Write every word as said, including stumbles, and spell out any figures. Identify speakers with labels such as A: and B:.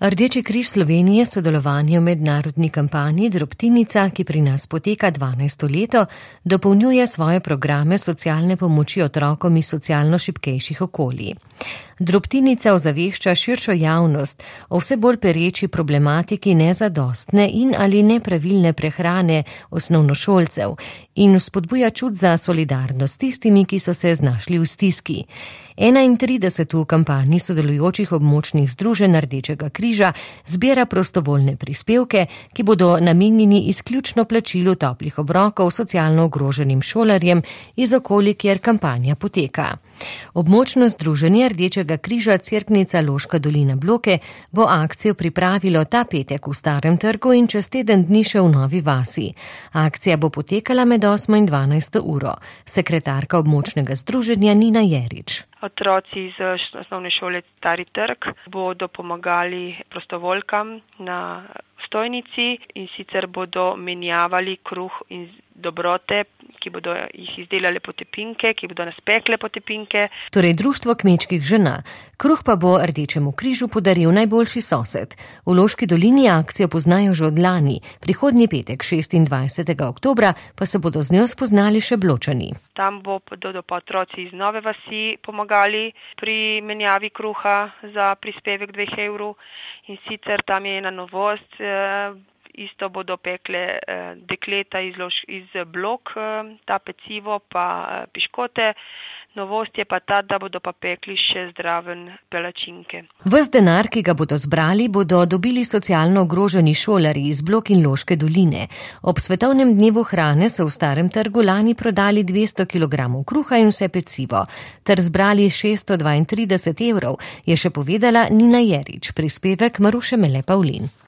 A: Rdeči križ Slovenije sodelovanje v mednarodni kampanji Drobtinica, ki pri nas poteka dvanajsto leto, dopolnjuje svoje programe socialne pomoči otrokom iz socialno šibkejših okolij. Drobtinica ozavešča širšo javnost o vse bolj pereči problematiki nezadostne in ali nepravilne prehrane osnovnošolcev in vzpodbuja čut za solidarnost s tistimi, ki so se znašli v stiski. enaintrideset v kampanji sodelujočih območnih združenj Rdečega križa zbira prostovoljne prispevke, ki bodo namenjeni izključno plačilu toplih obrokov socialno ogroženim šolarjem iz okolij, kjer kampanja poteka. Območno združenje Rdečega križa Cerknica Loška dolina Bloke bo akcijo pripravilo ta petek v Starem trgu in čez teden dni še v Novi vasi. Akcija bo potekala med osmo in dvanajsto uro. Sekretarka območnega združenja Nina Jerič.
B: Otroci iz osnovne šole Stari trg bodo pomagali prostovoljkam na stojnici in sicer bodo menjavali kruh in dobrote, ki bodo jih izdelale potepinke, ki bodo naspekle potepinke.
A: Torej Društvo kmečkih žena. Kruh pa bo Rdečemu križu podaril najboljši sosed. V Loški dolini akcijo poznajo že od lani. Prihodnji petek, šestindvajsetega oktobra, pa se bodo z njo spoznali še Bločani.
B: Tam bodo pa otroci iz Nove vasi pomagali pri menjavi kruha za prispevek dveh evrov. In sicer tam je ena novost, isto bodo pekle dekleta iz, lož, iz Blok, ta pecivo pa piškote. Novost je pa ta, da bodo pa pekli še zdraven palačinke.
A: Ves denar, ki ga bodo zbrali, bodo dobili socialno ogroženi šolarji iz Blok in Loške doline. Ob svetovnem dnevu hrane so v Starem trgu lani prodali dvesto kilogramov kruha in vse pecivo, ter zbrali šeststo dvaintrideset evrov, je še povedala Nina Jerič, prispevek Maruše Mele Pavlin.